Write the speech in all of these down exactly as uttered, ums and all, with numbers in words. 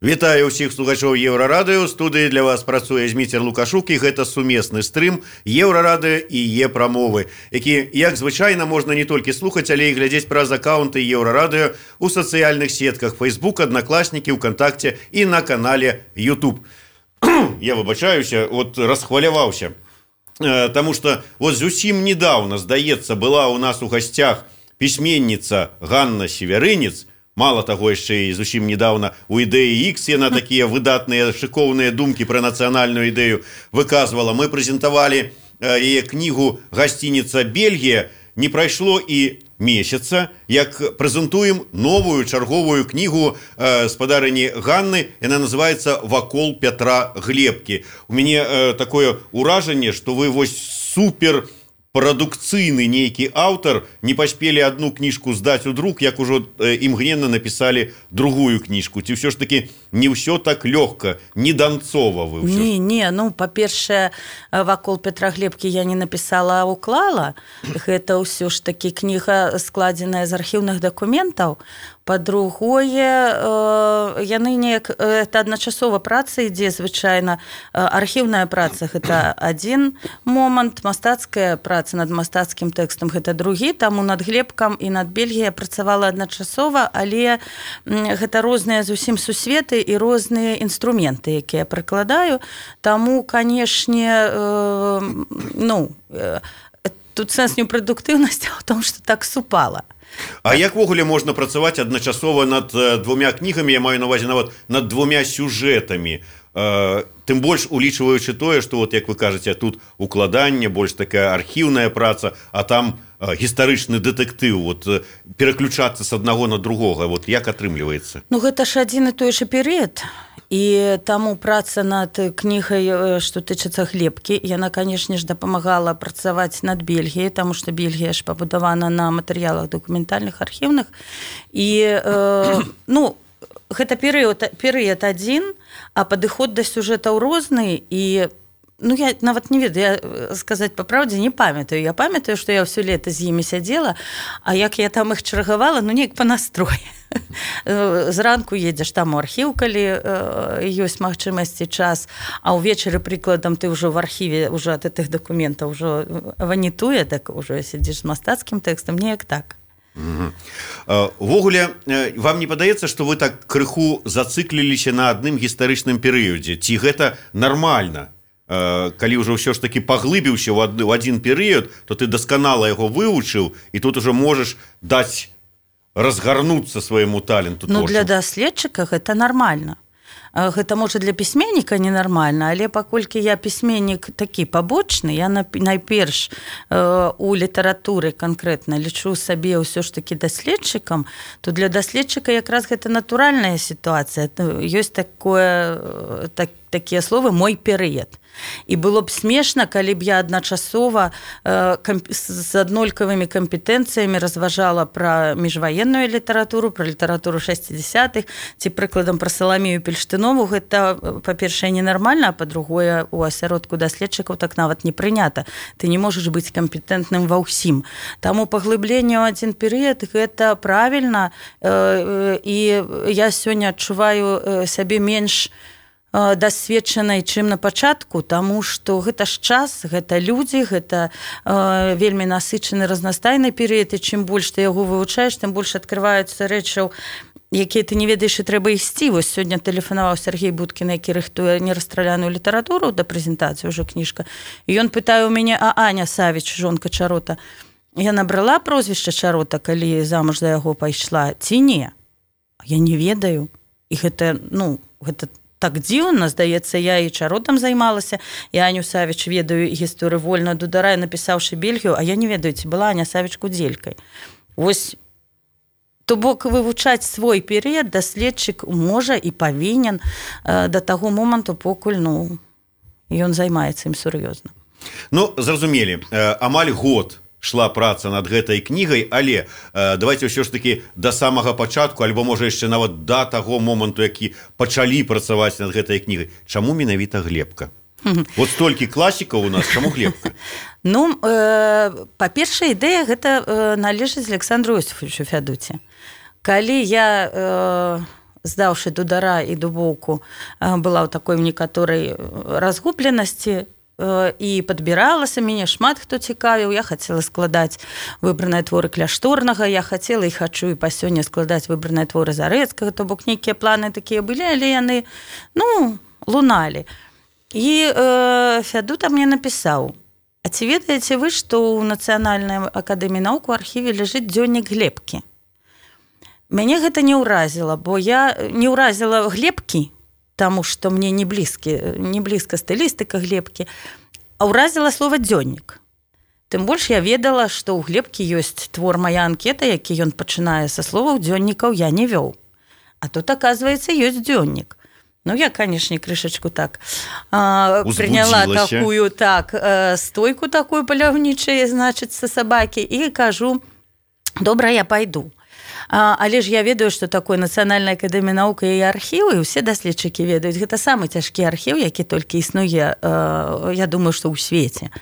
Вітаю ўсіх слухачоў Еўрарадыё. Студыі для вас працуе Зміцер Лукашук, і гэта сумесны стрым Еўрарадыё і Е-прамовы, які, як звычайна, можна не толькі слухаць, але і глядзець праз акаунты Еўрарадыё у сацыяльных сетках Facebook, Аднакласнікі, ВКонтакце і на канале YouTube. Я выбачаюся, от расхваляваўся, таму што вот зусім недавно, здаецца, была у нас у гасцях пісьменніца Ганна Северынец. Мало таго, яшчэ і зусім недавно у ідэі Х яна такія выдатныя шыкоўныя думкі пра нацыянальную ідэю выказвала. Мы прэзентавалі яе кнігу «Гасцініца Бельгія». Не прайшло і месяца, як прэзентуем новую чарговую кнігу спадарыні Ганны. Яна называецца «Вакол Пятра Глебкі». У мяне такое ўражанне, што вы вось супер прадукцыйны нейкі аўтар, не паспелі одну кніжку здаць у друк, як ужо імгненна напісалі другую кніжку. Ці ўсё ж таки не ўсё так лёгка, не данцова вы ўсё? Не, не, ну, па-першае, «Вакол Пятра Глебкі» я не напісала, а уклала. Гэта ўсё ж таки кніга, складзеная з архіўных дакументаў. Па-другое, яны неяк, это адначасова праца ідзе, звычайна. Архіўная праца – гэта адзін момант, мастацкая праца над мастацкім тэкстам – гэта другі, таму над Глебкам і над Бельгіяй працавала адначасова, але гэта розныя зусім сусветы і розныя інструменты, якія прыкладаю. Таму, канешне, ну, тут сэнс не ў прадуктыўнасці, а ў том, што так супала. А як ввогуле можна працаваць адначасова над двумя кнігамі, я маю на увазе нават над двумя сюжэтамі, тым больш улічваючы тое, што, вот, як вы кажаце, тут укладанне, больш такая архіўная праца, а там гістарычны дэтэктыў, вот, пераключацца з аднаго на другога, вот, як атрымліваецца? Ну, гэта ж адзін і той жа перыяд. І таму праца над кнігай, што тычыцца Глебкі, яна, канешне ж, дапамагала працаваць над Бельгіяй, таму што Бельгія ж пабудавана на матэрыялах дакументальных, архіўных. І, э, ну, гэта перыяд, перыяд адзін, а падыход да сюжэтаў розны, і ну, я нават не ведаю, я сказаць па праўдзе не памятаю. Я памятаю, што я ўсё лета з імі сядзела, а як я там іх чаргавала, ну, неяк па настроі. Зранку едзеш там у архіў, калі ёсць магчымасць і час, а ўвечары, прыкладам, ты ўжо в архіве ўжо ад гэтых дакументаў ўжо ванітуе, так ўжо сядзіш з мастацкім тэкстам, неяк так. Увогуле, вам не падаецца, што вы так крыху зацыкліліся на адным гістарычным перыядзе? Ці гэта нармальна? Калі ўжо ўсё ж таки паглыбіўся ў адзін перыяд, то ты дасканала яго вывучыў, і тут ужо можаш даць разгарнуцца свайму таленту. Ну, для даследчыка гэта нармальна. Гэта, можа, для пісьменніка ненармальна, але паколькі я пісьменнік такі пабочны, я найперш у літаратуры канкрэтна лічу сабе ўсё ж такі даследчыкам, то для даследчыка якраз гэта натуральная сітуацыя. Ёсць такое, так, такія словы «мой перыяд». І было б смешна, калі б я адначасова э, камп... з аднолькавымі кампетэнцыямі разважала пра міжваенную літаратуру, пра літаратуру шэсцідзясятых, ці прыкладам пра Саламію Пельштынову. Гэта, па-першае, ненармальна, а па-другое, у асяродку даследчыкаў так нават не прынята. Ты не можаш быць кампетэнтным ва ўсім. Таму паглыбленне ў адзін перыяд – гэта правільна, э, і я сёння адчуваю сябе менш дасведчанай, чым на пачатку, таму што гэта ж час, гэта людзі, гэта э, вельмі насычаны разнастайны перыяд, і чым больш ты яго вывучаеш, тым больш адкрываюцца рэчаў, якія ты не ведаеш, і трэба ісці. Вось сёння тэлефанаваў Сергей Будкін, які рыхтуе нерастраляную літаратуру да прэзентацыі, ўжо кніжка, і ён пытае ў мяне: а Аня Савіч, жонка Чарота, я набрала прозвішча Чарота, калі замуж за яго пайшла, ці не? Я не ведаю. І гэта, ну, гэта так дзіўна, здаецца, я і Чаротам займалася, і Аню Савіч ведаю гісторыю вольна дударай, напісаўшы Бельгію, а я не ведаю, ці была Аня Савіч кудзелькай. Вось, то бок вывучаць свой перыяд даследчык можа і павінен э, да таго моманту, покуль, ну, ён займаецца ім сур'ёзна. Ну, зразумелі, э, амаль год шла праца над гэтай кнігай, але э, давайте ўсё ж таки да самага пачатку, альбо можа яшчэ нават да таго моманту, які пачалі працаваць над гэтай кнігай. Чаму менавіта Глебка? Вот столькі класікаў у нас, чаму Глебка? Ну, э, па-першае, ідэя гэта э, належыць Александру Иосифовичу Фядуце. Калі я э, здаўшы дудара і дубоўку, была ў такой некаторай разгубленасці і падбіралася, мяне шмат хто цікавіў, я хацела складаць выбраныя творы Кляшторнага, я хацела і хачу і па сёння складаць выбраныя творы Зарэцкага, то бок нейкія планы такія былі, але яны, ну, луналі. І э, Фядута мне напісаў: а ці ведаеце вы, што ў Нацыянальнай акадэміі навук у архіве ляжыць дзённік Глебкі? Мяне гэта не ўразіла, бо я не ўразіла Глебкі, таму што мне не блізкі, не блізка стылістыка Глебкі, а ўразіла слова дзённік. Тым больш я ведала, што ў Глебкі ёсць твор «Мая анкета», які ён пачынае са словаў «дзённікаў я не вёў». А тут, аказваецца, ёсць дзённік. Ну, я, канешне, крышачку так а, прыняла такую, так, стойку такую паляўнічаю, значыцца, сабакі, і кажу: добра, я пайду. А, але ж я ведаю, што такое Нацыянальная акадэмія навук і архівы, і ўсе даследчыкі ведаюць, гэта самы цяжкі архіў, які толькі існуе, а, я думаю, што ў свеце.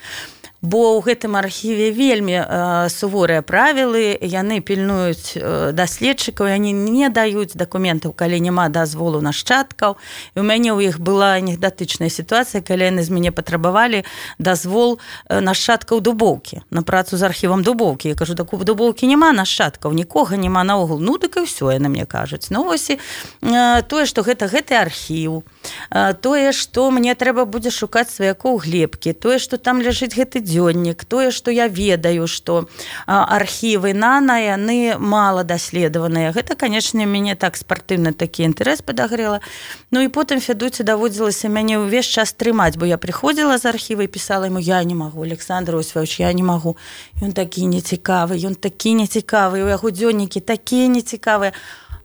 Бо ў гэтым архіве вельмі э, суворыя правілы, яны пільнуюць э, даследчыкаў, яны не даюць дакументаў, калі няма дазволу нашчадкаў. І ў мяне ў іх была анекдатычная сітуацыя, калі яны з мяне патрабавалі дазвол э, нашчадкаў Дубоўкі, на працу з архівам Дубоўкі. Я кажу: так у Дубоўкі няма нашчадкаў, нікога няма наогул. Ну, дык і ўсё, яны мне кажуць. Ну, вось і э, тое, што гэта гэты архіў, э, тое, што мне трэба будзе шукаць сваякоў Глебкі, тое, што там ляжыць гэты дзённік, тое, што я ведаю, што архівы нана, яны мала даследаваныя. Гэта, канечне, мяне так спартыўна такі інтарэс падагрэла. Ну і потым Фядуце даводзілася мяне ўвесь час трымаць, бо я прыходзіла з архіва і пісала яму: я не магу, Александр Осіпавіч, я не магу. Ён такі нецікавы, ён такі нецікавы, у яго дзённікі такія нецікавыя.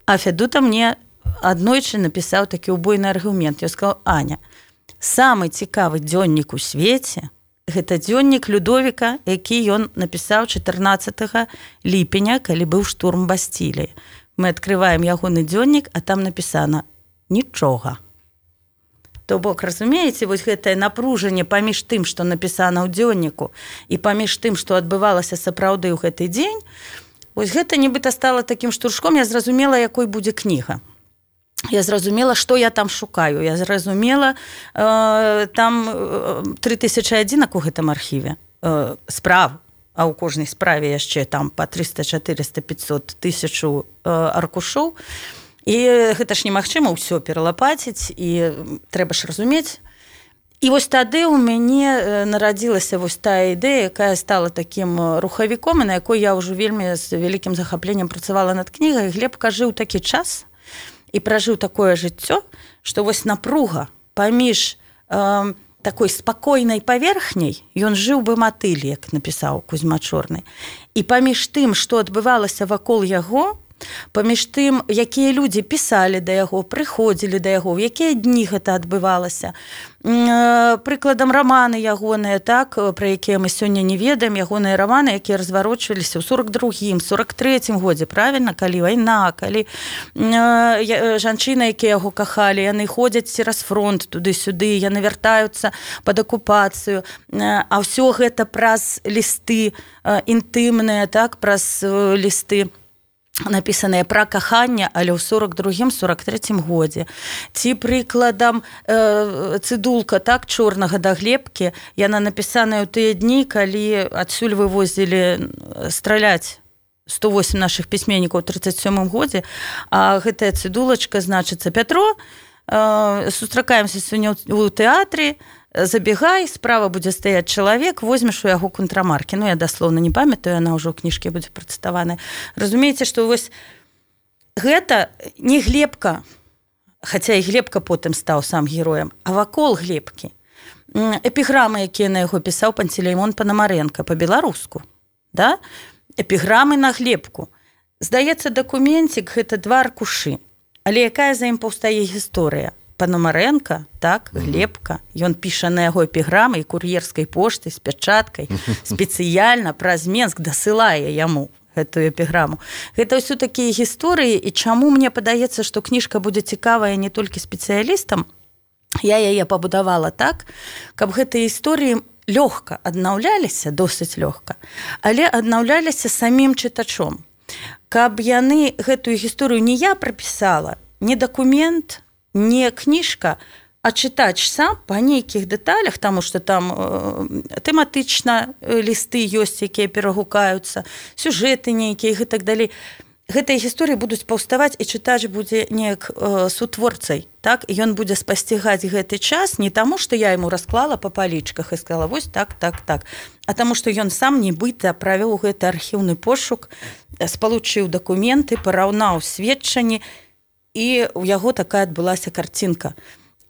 А Фядута мне аднойчы напісаў такі убойны аргумент. Я сказала: Аня, самы цікавы дзённік у свеце гэта дзённік Людовіка, які ён напісаў чатырнаццатага ліпеня, калі быў штурм Бастіліі. Мы адкрываем ягоны дзённік, а там напісана нічога. То бок, разумееце, вось гэтае напружанне паміж тым, што напісана ў дзённіку, і паміж тым, што адбывалася сапраўды ў гэты дзень, вось гэта нібыта стала такім штуршком. Я зразумела, якой будзе кніга. Я зразумела, што я там шукаю. Я зразумела, э, там тры тысячы адзінак у гэтым архіве э, справ, а ў кожнай справе яшчэ там па трыста, чатырыста, пятьсот тысячу э, аркушоў. І гэта ж немагчыма ўсё пералапаціць, і трэба ж разумець. І вось тады ў мяне нарадзілася вось тая ідэя, якая стала такім рухавіком, і на якой я ўжо вельмі з вялікім захапленнем працавала над кнігай. Глебка жыў такі час і пражыў такое жыццё, што вось напруга паміж э, такой спакойнай паверхняй, ён жыў бы матыль, як напісаў Кузьма Чорны, і паміж тым, што адбывалася вакол яго, паміж тым, якія людзі пісалі да яго, прыходзілі да яго, в якія дні гэта адбывалася. Прыкладам, раманы ягоныя, так, пра якія мы сёння не ведаем, ягоныя раманы, якія разварочваліся ў сорок другім, сорок трэцім годзе, правільна, калі вайна, калі жанчыны, якія яго кахалі, яны ходзяць цераз фронт туды-сюды, яны вяртаюцца пад акупацыю, а ўсё гэта праз лісты інтымныя, так, праз лісты напісаныя пра каханне, але ў сорок другім, сорок трэцім годзе. Ці прыкладам э, цыдулка, так, Чорнага да Глебкі, яна напісаная ў тыя дні, калі адсюль вывозілі страляць сто восемь нашых пісьменнікаў у трыццаць сёмым годзе, а гэтая цыдулачка, значыцца: Пятро, э, сустракаемся сёння ў тэатры, забегай, справа будзе стаяць чалавек, возьмеш у яго контрамаркі. Ну, я даслоўна не памятаю, яна ўжо ў кніжкі будзе працытаваная. Разумееце, што вось гэта не Глебка, хаця і Глебка потым стаў сам героем, а вакол Глебкі эпіграмы, якія на яго пісаў Пантелеймон Панамарэнка па-беларуску, да? Эпіграмы на Глебку. Здаецца, дакументик гэта два аркушы, але якая за ім паўстае гісторыя? Панамарэнка, так, Глебка, ён піша на яго эпіграмы і кур'ерскай поштай з пячаткай, спецыяльна праз Менск дасылае яму гэтую эпіграму. Гэта ўсё такія гісторыі, і чаму мне падаецца, што кніжка будзе цікавая не толькі спецыялістам, я яе пабудавала так, каб гэтыя гісторыі лёгка аднаўляліся, досыць лёгка, але аднаўляліся самім чытачом. Каб яны гэтую гісторыю не я прапісала, не дакумент, не кніжка, а чытач сам па нейкіх дэталях, таму што там э, тэматычна лісты ёсць, якія перагукаюцца, сюжэты нейкія і так далей. Гэтыя гісторыі будуць паўставаць, і чытач будзе неяк э, сутворцай, так? І ён будзе спасцігаць гэты час не таму, што я яму расклала па палічках і сказала, вось так, так, так, а таму, што ён сам нібыта правёў гэты архіўны пошук, спалучыў дакументы, параўнаў сведчанні, і ў яго такая адбылася карцінка.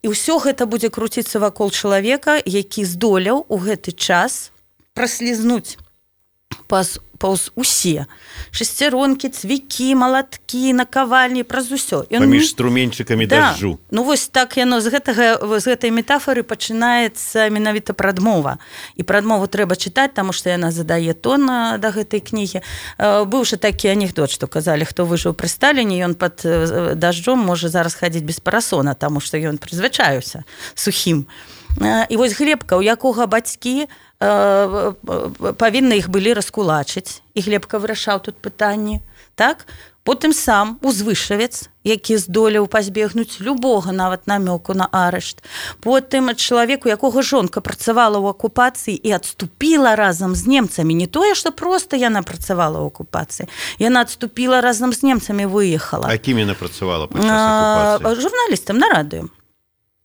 І ўсё гэта будзе круціцца вакол чалавека, які здолеў у гэты час праслізнуць паз паўз усе шесцяронкі, цвікі, малаткі, накавальні, праз усё. Ён... Паміж струменчыкамі да. дажджу. Ну вось так яно з гэтага, з гэтай метафоры пачынаецца менавіта прадмова. І прадмову трэба чытаць, таму што яна задае тон да гэтай кнігі. Быў жа такі анекдот, што казалі, хто выжыў пры Сталіне, ён пад дажджом можа зараз хадзіць без парасона, таму што ён прызвычаіўся сухім. І вось Глебка, у якога бацькі павінны іх былі раскулачыць, і Глебка вырашаў тут пытанні, так? Потым сам узвышавец, які здолеў пазбегнуць любога нават намёку на арышт. Потым чалавек, у якога жонка працавала ў акупацыі і адступіла разам з немцамі. Не тое, што проста яна працавала ў акупацыі. Яна адступіла разам з немцамі, выехала. А кім яна працавала падчас акупацыі? Журналістам на радыё.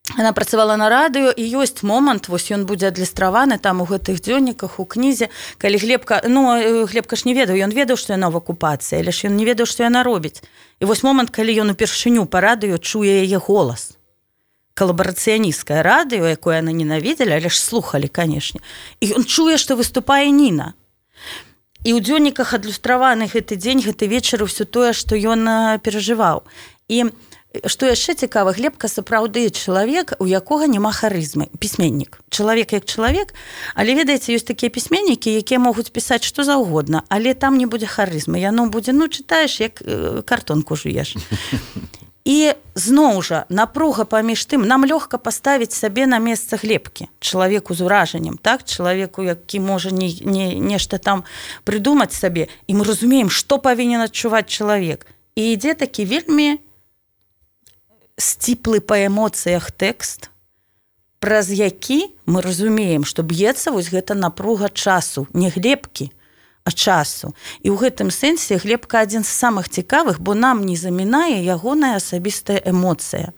Яна працавала на радыё, і ёсць момант, вось ён будзе адлюстраваны там у гэтых дзённіках, у кнізе, калі Глебка, ну, Глебка ж не ведаў, ён ведаў, што яна ў акупацыі, але ж ён не ведаў, што яна робіць. І вось момант, калі ён упершыню па радыё чуе яе голас. Калабарацыянісцкае радыё, якое яны ненавідзелі, але ж слухалі, канешне. І ён чуе, што выступае Ніна. І ў дзённіках адлюстраваны гэты дзень, гэты вечар, ўсё тое, што ён перажываў. І што яшчэ цікава, Глебка сапраўды чалавек, у якога няма харызмы, пісьменнік. Чалавек як чалавек, але, ведаеце, ёсць такія пісьменнікі, якія могуць пісаць што заўгодна, але там не будзе харызмы. Яно будзе, ну, чытаеш, як картонку жуеш. І зноў жа, напруга паміж тым, нам лёгка паставіць сабе на месца Глебкі, чалавеку з уражаннем, так? Чалавеку, які можа не, не, нешта там прыдумаць сабе, і мы разумеем, што павінен адчуваць чалавек. І ідзе такі вельмі сціплы па эмоцыях тэкст, праз які мы разумеем, што б'ецца вось гэта напруга часу, не Глебкі, а часу. І ў гэтым сэнсе Глебка адзін з самых цікавых, бо нам не замінае ягоная асабістая эмоцыя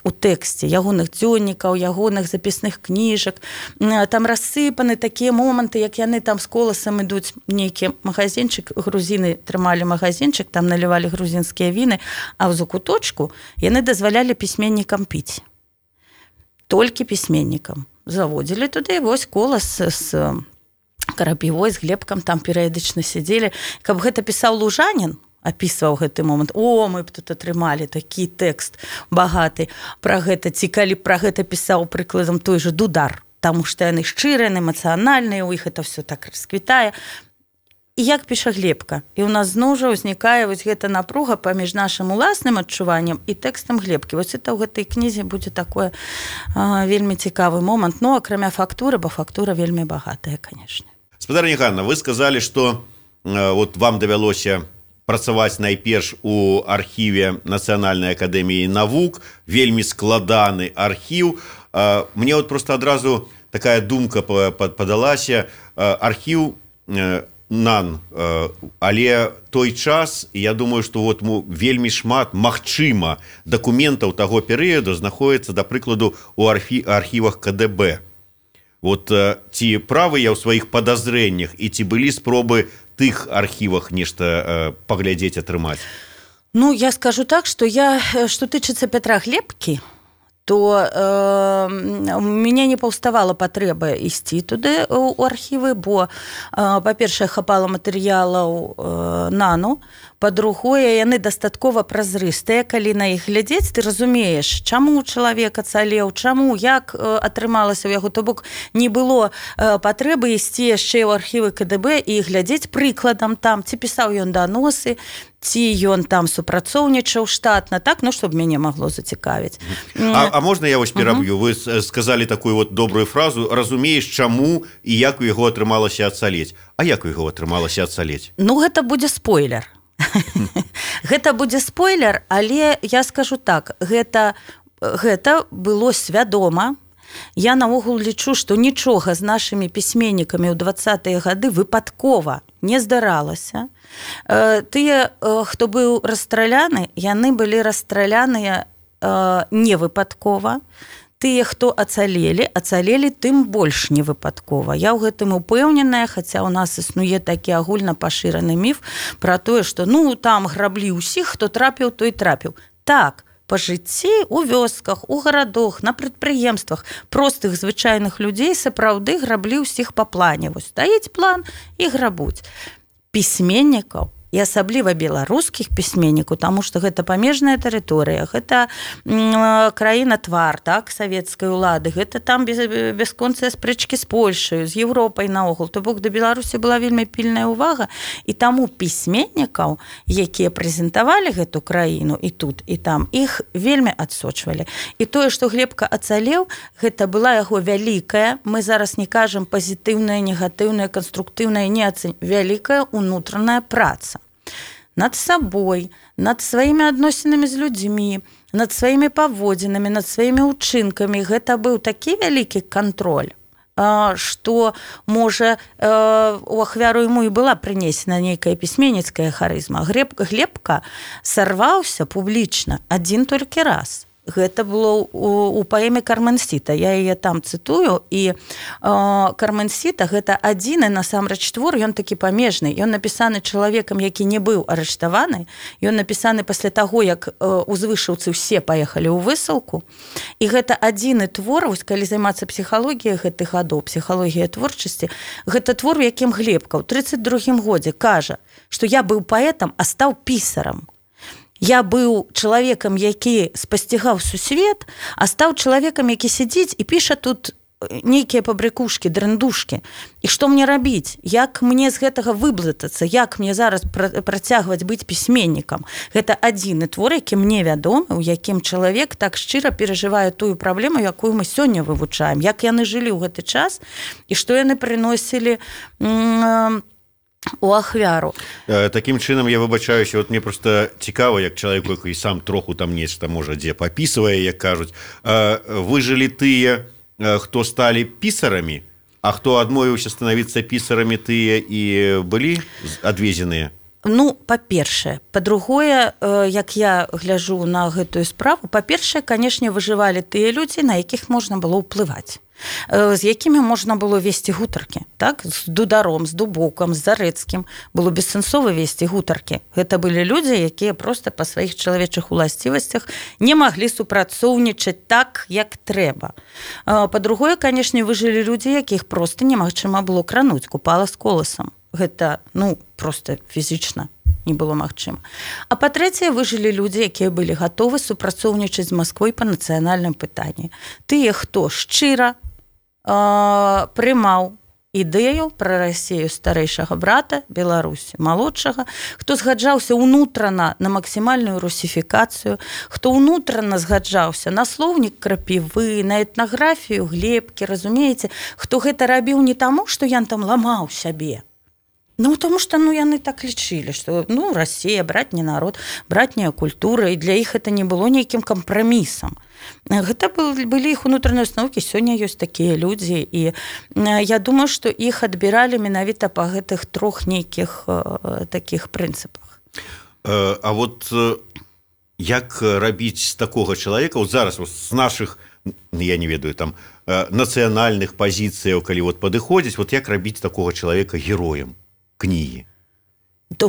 у тэксце, ягоных дзённікаў, ягоных запісных кніжак. Там рассыпаны такія моманты, як яны там з коласам ідуць, нейкі магазинчык, грузіны трымалі магазинчык, там налівалі грузінскія віны, а ў закуточку яны дазвалялі пісьменнікам піць. Толькі пісьменнікам. Заводзілі туды, вось колас з Карапівой, з Глебкам там перыядычна сядзелі. Каб гэта пісаў Лужанін, апісваў гэты момант. О, мы б тут атрымалі такі тэкст багаты пра гэта. Ці калі пра гэта пісаў прыкладам той жа Дудар, таму што яны шчырыя, эмацыянальныя, у іх это все так расквітае. І як піша Глебка. І ў нас зноў жа ўзнікае вось гэта напруга паміж нашым уласным адчуваннем і тэкстам Глебкі. Вось это ў гэтай кнізе будзе такое а, вельмі цікавы момант. Ну, акрамя фактуры, бо фактура вельмі багатая, канешне. Спадарня Ганна, вы сказалі, што э, вот вам давялося працаваць найперш у архіве Нацыянальнай акадэміі навук, вельмі складаны архіў. Мне вот просто адразу такая думка падалася. Архіў нан, але той час, я думаю, што вот вельмі шмат, магчыма, дакументаў таго перыяду знаходіцца, да прыкладу, у архівах ка дэ бэ. Вот ці правы я ў сваіх падазрэннях, і ці былі спробы тых архівах нешта э, паглядзець, атрымаць? Ну, я скажу так, што я, што тычыцца Пятра Глебкі, то э, у мяне не паўставала патрэба ісці туды у архівы, бо, э, па-першае, хапала матэрыялаў э, нану, па-другое, яны дастаткова празрыстыя, калі на іх глядзець, ты разумееш, чаму чалавек ацалеў, чаму, як э, атрымалася ў яго, то бок не было э, патрэбы ісці яшчэ ў архівы ка дэ бэ і глядзець прыкладам там, ці пісаў ён даносы, ці ён там супрацоўнічаў штатна, так, ну, щоб мяне магло зацікавіць. А, а можна я вось пераб'ю? Вы сказалі такую вот добрую фразу, разумееш, чаму і як у яго атрымалася ацалець. А як у яго атрымалася ацалець? Ну, гэта будзе спойлер. Гэта будзе спойлер, але я скажу так, гэта, гэта было свядома. Я наогул лічу, што нічога з нашымі пісьменнікамі ў дваццатыя гады выпадкова не здаралася. Тыя, хто быў расстраляны, яны былі расстраляныя не выпадкова. Тыя, хто ацалелі, ацалелі тым больш не выпадкова. Я ў гэтым упэўненая, хаця ў нас існуе такі агульна пашыраны міф пра тое, што ну там граблі ўсіх, хто трапіў, той трапіў. Так, па жыцці, у вёсках, у гарадах, на прадпрыемствах простых звычайных людзей сапраўды граблі ўсіх па плане. Вось стаіць план і грабуць. Пісьменнікаў, і асабліва беларускіх пісьменнікаў, таму што гэта памежная тэрыторыя, гэта краіна твар, так, савецкай улады, гэта там без, бясконцыя спрэчкі з Польшай, з Еўропай наогул. То бок да Беларусі была вельмі пільная ўвага, і таму пісьменнікаў, якія прэзентавалі гэту краіну і тут, і там, іх вельмі адсочвалі. І тое, што Глебка ацалеў, гэта была яго вялікая, мы зараз не кажам пазітыўная, негатыўная, канструктыўная, не ацэнь, вялікая ўнутраная праца. Над сабой, над сваімі адносінамі з людзьмі, над сваімі паводзінамі, над сваімі ўчынкамі. Гэта быў такі вялікі кантроль, што, можа, у ахвяру яму і была прынесена нейкая пісьменніцкая харызма. Глебка сарваўся публічна адзін толькі раз. Гэта было у, у паэме «Карменсіта». Я яе там цытую, і э, «Карменсіта» гэта адзіны насамрэч твор, ён такі памежны. Ён напісаны чалавекам, які не быў арыштаваны. Ён напісаны пасля таго, як э, узвышаўцы ўсе паехалі ў высылку. І гэта адзіны твор, вось калі займацца псіхалогіяй гэтых гадоў, псіхалогія творчасці, гэта твор, у якім Глебка ў трыццаць другім годзе кажа, што я быў паэтам, а стаў пісарам. Я быў чалавекам, які спасцігаў сусвет, а стаў чалавекам, які сядзіць і піша тут нейкія пабрыкушкі, драндушкі. І што мне рабіць? Як мне з гэтага выблытацца? Як мне зараз працягваць быць пісьменнікам? Гэта адзіны твор, які мне вядомы, у якім чалавек так шчыра перажывае тую праблему, якую мы сёння вывучаем. Як яны жылі ў гэты час і што яны прыносілі м- у ахвяру. Такім чынам, я выбачаюся, вот мне просто цікава, як чалавек, які сам троху там нешта, можа, дзе папісвае, як кажуць. Выжылі тыя, хто сталі пісарамі, а хто адмовіўся станавіцца пісарамі, тыя і былі адвезеныя? Ну, па-першае. Па-другое, як я гляджу на гэтую справу, па-першае, канешне, выжывалі тыя людзі, на якіх можна было ўплываць, з якімі можна было весці гутаркі, так? З Дударом, з Дубокам, з Зарэцкім было бессэнсова весці гутаркі. Гэта былі людзі, якія проста па сваіх чалавечых уласцівасцях не маглі супрацоўнічаць так, як трэба. Па-другое, канешне, выжылі людзі, якіх проста немагчыма было крануць, купала з коласам. Гэта, ну, проста фізічна не было магчыма. А па-трэцяе, выжылі людзі, якія былі гатовы супрацоўнічаць з Масквой па нацыянальным пытанні. Тыя, хто шчыра э, прымаў ідэю пра Расію старэйшага брата, Беларусі малодшага, хто згаджаўся ўнутрана на максімальную русіфікацыю, хто ўнутрана згаджаўся на слоўнік Крапівы, на этнаграфію Глебкі, разумееце, хто гэта рабіў не таму, што ён там ламаў сябе, ну, тому што ну, яны так лічылі, што ну, Расія, братні народ, братняя культура, і для іх гэта не было нейкім кампрамісам. Гэта былі іх унутраныя установкі, сёння ёсць такія людзі, і я думаю, што іх адбіралі менавіта па гэтых трох нейкіх э, такіх прынцыпах. А вот як рабіць з такога чалавека, вот зараз з нашых, я не ведаю, там, нацыянальных пазіцыяў, калі вот падыходзіць, вот як рабіць такога чалавека героем кнігі? То,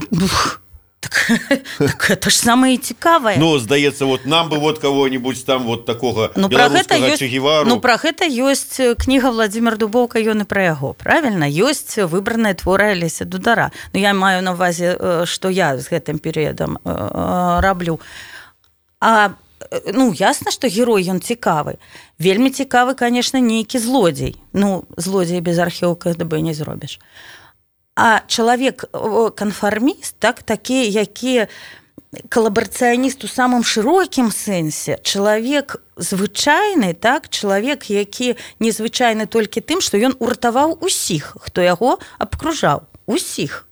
так, так это ж самае цікавае. Ну, здаецца, вот нам бы вот кого-нибудь там вот такого ну, беларускага Че Гевару. Ну, пра гэта ёсць кніга Владзімир Дубоўка, ён і пра яго, правільна? Ёсць выбраныя творы Алеся Дудара. Ну, я маю на ўвазе, што я з гэтым перыядам раблю. А ну, ясна, што герой ён цікавы. Вельмі цікавы, конечно, нейкі злодзей. Ну, злодзей без архіва ка гэ дэ бэ не зробіш. А чалавек-канфарміст, так, такі, які калабарацыяніст у самым шырокім сэнсе, чалавек звычайны, так, чалавек, які незвычайны толькі тым, што ён уратаваў усіх, хто яго абкружаў, усіх.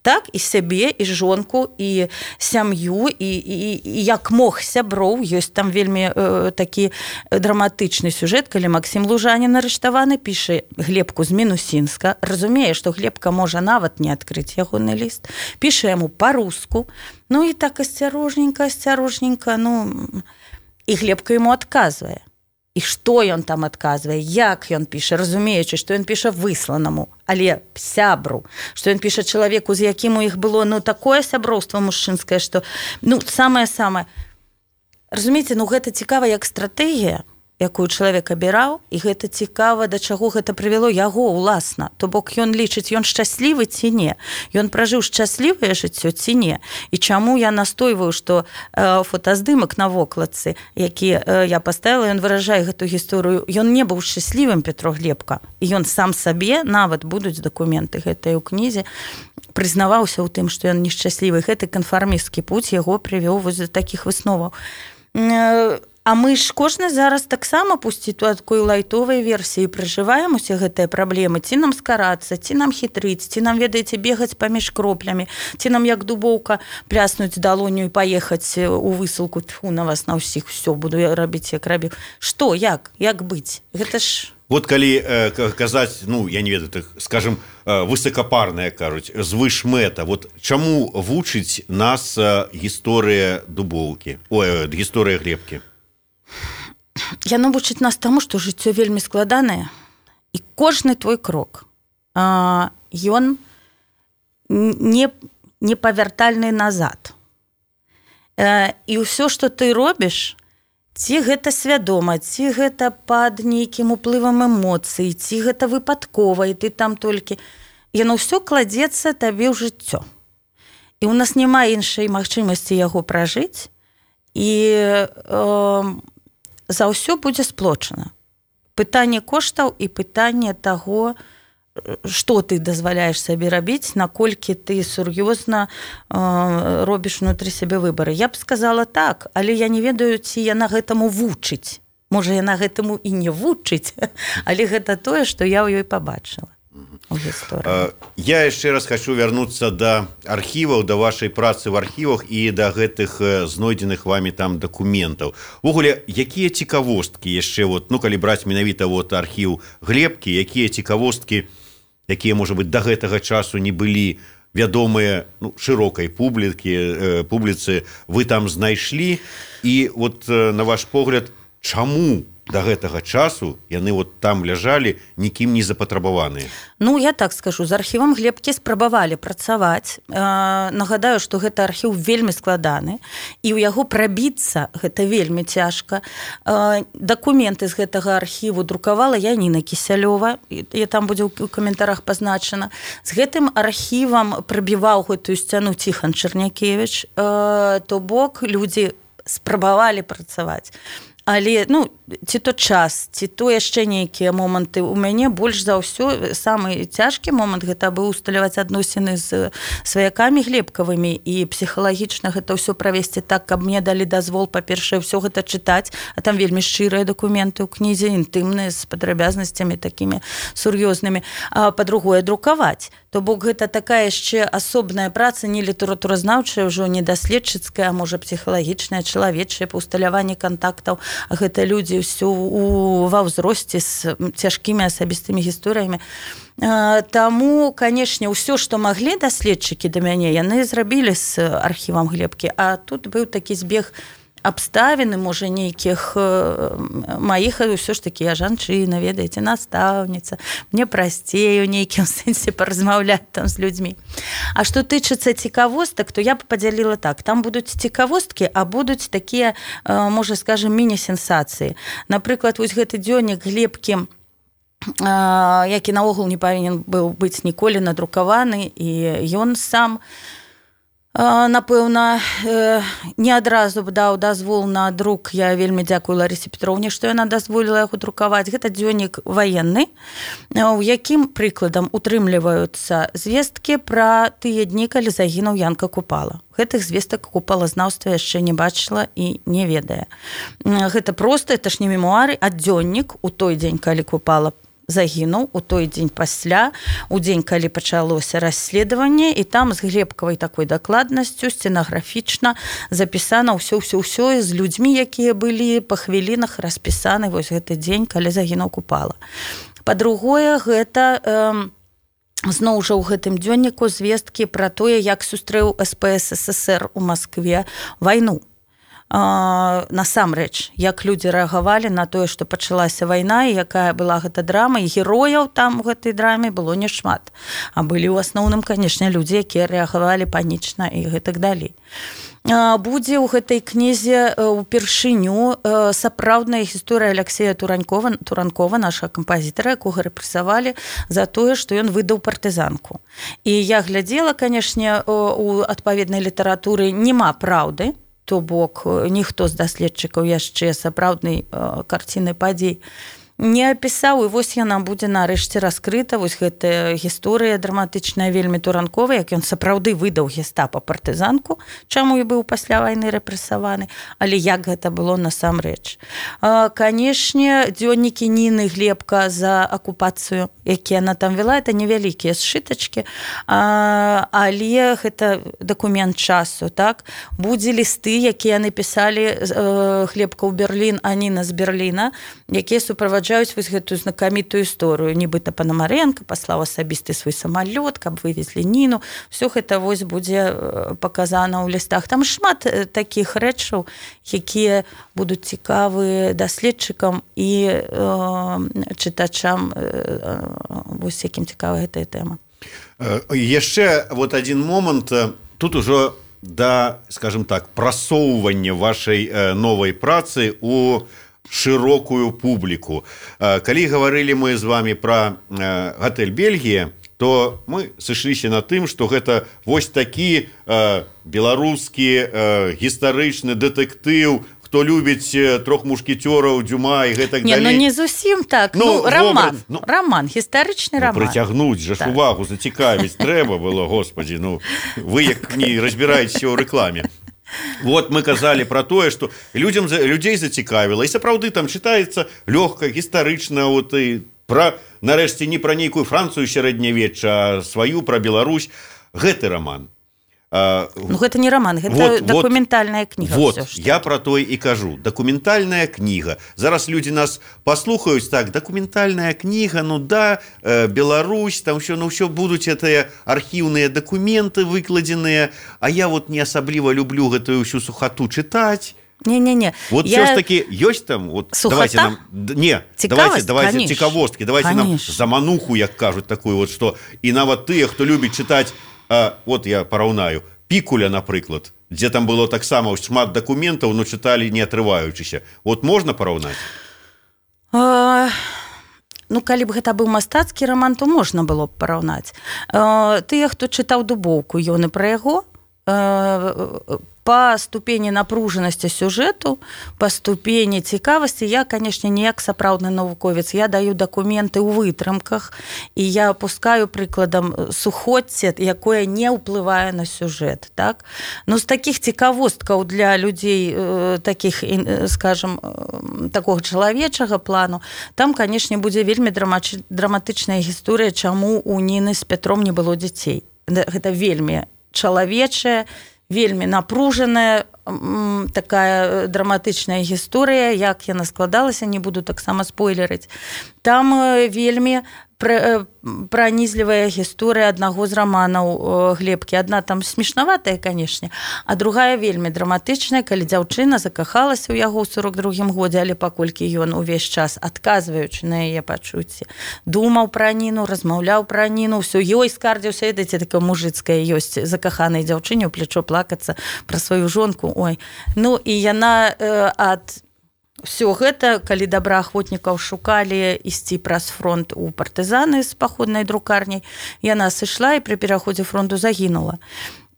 так і сябе і жонку і сям'ю і, і, і як мог сяброў. Ёсць там вельмі э, такі драматычны сюжэт, калі Максім Лужанін арыштаваны, піша Глебку з Мінусінска, разумее, што Глебка можа нават не адкрыць ягоны ліст, піша яму па-руску, ну і так асцярожненька, асцярожненька, ну і Глебка яму адказвае. І што ён там адказвае, як ён піша, разумеючы, што ён піша высланаму, але сябру, што ён піша чалавеку, з якім у іх было ну такое сяброўства мужчынскае, што ну самае-самае. Разумееце, ну гэта цікава як стратэгія, якую чалавек абіраў, і гэта цікава, да чаго гэта прывяло яго ўласна. То бок ён лічыць, ён шчаслівы ці не. Ён пражыў шчаслівае жыццё ці не. І чаму я настойваю, што э, фотаздымак на вокладцы, які э, я паставіла, ён выражае гэту гісторыю. Ён не быў шчаслівым, Петро Глебка. І ён сам сабе, нават будуць дакументы гэтыя ў кнізе, прызнаваўся ў тым, што ён нешчаслівы. Гэты канфармісцкі путь яго прывёў вось да такіх высноваў. Э, А мы ж кожны зараз таксама пусці такой лайтовай версіі пражываем усе гэтыя праблемы, ці нам скарацца, ці нам хітрыць, ці нам, ведаеце, бегаць паміж кроплямі, ці нам як дубоўка пляснуць далонню і паехаць у высылку, тьфу на вас на ўсіх, все, буду рабіць як рабіў. Што, як, як быць? Гэта ж... Вот калі э, казаць, ну, я не ведаю, так, скажем, э, высокапарная, кажуць, звышмэта, вот чаму вучыць нас э, гісторыя дубоўкі, ой, э, гісторыя Глебкі? Яно вучыць нас таму, што жыццё вельмі складанае, і кожны твой крок, а, ён не, не павяртальны назад. А, і ўсё, што ты робіш, ці гэта свядома, ці гэта пад нейкім уплывам эмоцый, ці гэта выпадкова, і ты там толькі... Яно ўсё кладзецца табе ў жыццё. І ў нас няма іншай магчымасці яго пражыць, і... Э, за ўсё будзе сплочана. Пытанне коштаў і пытанне таго, што ты дазваляеш сабе рабіць, наколькі ты сур'ёзна э, робіш внутры сябе выбары. Я б сказала так, але я не ведаю, ці яна гэтаму вучыць. Можа, яна гэтаму і не вучыць, але гэта тое, што я ў ёй пабачыла. Я яшчэ раз хочу вярнуцца да архіваў, да вашай працы в архівах і да гэтых знойдзеных вами там дакументаў. Увогуле, якія цікавосткі яшчэ, вот, ну, калі браць менавіта вот, архіў Глебкі, якія цікавосткі, якія, можа быць, да гэтага часу не былі вядомыя ну, шырокай публікі, э, публіцы, вы там знайшлі, і вот, э, на ваш погляд, чаму да гэтага часу яны вот там ляжалі, нікім не запатрабаваныя? Ну, я так скажу, з архівам Глебкі спрабавалі працаваць. Э, нагадаю, што гэта архіў вельмі складаны, і ў яго прабіцца гэта вельмі цяжка. Э, дакументы з гэтага архіву друкавала Яніна Кісялёва, і, і там будзе ў каментарах пазначана. З гэтым архівам прабіваў гэтую сцяну Ціхан Чарнякевіч, э, то бок людзі спрабавалі працаваць. Але, ну, ці то час, ці то яшчэ нейкія моманты у мяне больш за ўсё, самы цяжкі момант гэта быў усталяваць адносіны з сваякамі Глебкавымі і псіхалагічна гэта ўсё правесці так, каб мне далі дазвол, па-першае, ўсё гэта чытаць, а там вельмі шчырыя дакументы ў кнізе, інтымныя, з падрабязнасцямі такімі сур'ёзнымі, а па-другое, друкаваць. То бок гэта такая яшчэ асобная праца, не літаратуразнаўчая, ўжо не даследчыцкая, а можа псіхалагічная, чалавечая, па ўсталяванні кантактаў. Гэта людзі ўсё ва ўзросце з цяжкімі асабістымі гісторыямі. Таму, канешне, ўсё, што маглі даследчыкі да мяне, яны зрабілі з архівам Глебкі, а тут быў такі збег абставіны, можа, нейкіх маіх, ўсё ж такі я жанчына, ведаеце, настаўніца, мне прасцей у нейкім сэнсе паразмаўляць там з людзьмі. А што тычыцца цікавостак, то я б падзяліла так, там будуць цікавосткі, а будуць такія, можа, скажем, міні-сенсацыі. Напрыклад, вось гэты дзённік Глебкі, які наогул не павінен быў быць ніколі надрукаваны, і ён сам напэўна, не адразу даў дазвол на друк. Я вельмі дзякую Ларысе Петроўне, што яна дазволіла яго друкаваць. Гэта дзённік ваенны, у якім прыкладам утрымліваюцца звесткі пра тыя дні, калі загінуў Янка Купала. Гэтых звестак купалазнаўства яшчэ не бачыла і не ведае. Гэта проста, это ж не мемуары, а дзённік у той дзень, калі Купала загінуў у той дзень пасля, у дзень, калі пачалося расследаванне, і там з глебкавай такой дакладнасцю стенаграфічна запісана ўсё-ўсё-ўсё з людзьмі, якія былі па хвілінах распісаны вось гэты дзень, калі загінуў Купала. Па-другое, гэта э, зноў жа ў гэтым дзённіку звесткі пра тое, як сустрэў эс пэ эс эс эс эр у Маскве вайну. Насамрэч, як людзі рэагавалі на тое, што пачалася вайна і якая была гэта драма, і герояў там у гэтай драме было няшмат. А былі ў асноўным, канешне, людзі, якія рэагавалі панічна і гэтак далей. Будзе ў гэтай кнізе ўпершыню сапраўдная гісторыя Аляксея Туранкова, Туранкова, нашага кампазітара, якога рэпрэсавалі за тое, што ён выдаў партызанку. І я глядзела, канешне, у адпаведнай літаратуры нема праўды, то бок ніхто з даследчыкаў яшчэ сапраўднай карціны падзей не апісаў, і вось яна будзе нарэшце раскрыта, вось гэтая гісторыя драматычная вельмі Туранкова, як ён сапраўды выдаў гестапа партызанку, чаму і быў пасля вайны рэпрэсаваны, але як гэта было насамрэч. Канешне, дзённікі Ніны Глебка за акупацыю, якія яна там вела, это невялікія сшытачкі, але гэта дакумент часу, так? Будзе лісты, якія напісалі Глебка ў Берлін, а Ніна з Берліна, якія суправаджаюць вось гэтую знакамітую історыю. Нібыта Панамаренка паслаў асабісты свой самалёт, каб вывезлі Ніну. Всё гэта вось будзе паказана ў лістах. Там шмат такіх рэчаў, якія будуць цікавы даследчыкам і э, чытачам, э, вось якім цікава гэтая тэма. Яшчэ вот один момант. Тут ужо да, скажем так, прасоўвання вашай новай працы у широкую публіку. Калі гаварылі мы з вами пра гатэль Бельгія, то мы сышліся на тым, што гэта вось такі беларускі гістарычны дэтэктыў, хто любіць трох мушкетёраў, Дюма і гэтак далей. Не, ну не зусім так. Ну, ну роман, ну, роман, гістарычны ну, роман. Прыцягнуць жа так. Увагу, зацікавіць трэба было, господі, ну вы як не разбіраецеся ў рэкламе. Вот мы казалі пра тое, што людзям людзей зацікавіла, і сапраўды там чытаецца лёгка, гістарычна, вот і пра нарэшце не пра нейкую Францыю сярэднявечча, а сваю пра Беларусь. Гэты роман. А, ну гэта не роман, гэта вот, дакументальная вот, кніга. Вот, всё, я пра тое і кажу. Дакументальная кніга. Зараз людзі нас паслухаюць, так, дакументальная кніга, ну да, э, Беларусь, там ўсё, ну ўсё будуць гэтыя архіўныя дакументы выкладзеныя, а я вот не асабліва люблю гэтую ўсю сухату чытаць. Не-не-не. Вот я... все ж таки ёсць там, вот сухота? Давайте нам, не, давайте, давайте цікавосткі, давайте конечно. Нам замануху, як кажуць, такую вот, што і нават тыя, хто любіць чытаць. А, вот я параўнаю. Пікуля, напрыклад, дзе там было таксама шмат дакументаў, но чыталі не атрываючыся. Вот можна параўнаць? А, ну, калі б гэта быў мастацкі роман, то можна было б параўнаць. А, тыя, хто чытаў Дубоўку, ён і пра яго, а, па ступені напружанасці сюжэту, па ступені цікавасці, я, канешне, не як сапраўдны навуковец, я даю дакументы ў вытрымках, і я апускаю прыкладам сухоцце, якое не ўплывае на сюжэт. Так? Ну, з такіх цікавосткаў для людзей, такіх, скажем, такога чалавечага плану, там, канешне, будзе вельмі драматычная гісторыя, чаму у Ніны з Пятром не было дзяцей. Гэта вельмі чалавечая, вельмі напружаная такая драматычная гісторыя, як яна складалася, не буду таксама спойлерыць. Там вельмі пранізлівая гісторыя аднаго з раманаў Глебкі. Адна там смешнаватая, канешне, а другая вельмі драматычная, калі дзяўчына закахалася ў яго ў сорок другім годзе, але паколькі ён увесь час, адказваючы на яе пачуцці, думаў пра Ніну, размаўляў пра Ніну, ўсё ёй скардзіўся, ведаеце, такая мужыцкая ёсць закаханай дзяўчыне ў плечо плакацца пра сваю жонку. Ой. Ну, і яна э, ад Всё гэта, калі добраахвотнікаў шукалі ісці праз фронт у партызаны з паходнай друкарняй, яна сышла і пры пераходзе фронту загінула.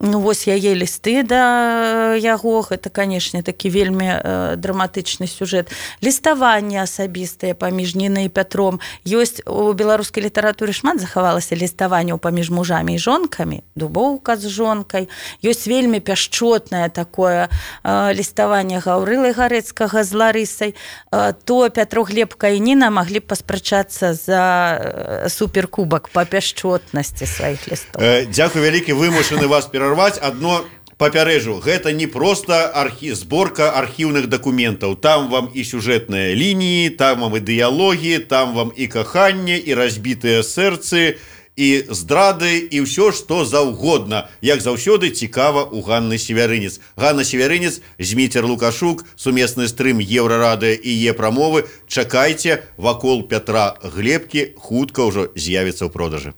Ну вось яе лісты да яго, гэта, канешне, такі вельмі э, драматычны сюжэт. Ліставанне асабістае паміж Нінай і Пятром. Ёсць у беларускай літаратуры шмат захавалася ліставанняў паміж мужамі і жонкамі, Дубоўка з жонкай. Ёсць вельмі пяшчотнае такое э, ліставанне Гаўрылы Гарэцкага з Ларысай. Э, то Пятро, Глебка і Ніна маглі б паспрачацца за э, суперкубак па пяшчотнасці сваіх лістоў. Э, дзякуй вялікі, вымушаны вас перарваць. Одно папярэжу, гэта не просто архі... зборка архіўных дакументаў. Там вам і сюжэтныя лініі, там вам і дыялогі, там вам і каханне, і разбітыя сэрцы, і здрады, і ўсё, што заўгодна. Як заўсёды цікава у Ганны Севярынец. Ганна Севярынец, Зміцер Лукашук, сумесны стрым Еўрарады і Е-прамовы. Чакайце, вакол Пятра Глебкі хутка ўжо з'явіцца ў продажы.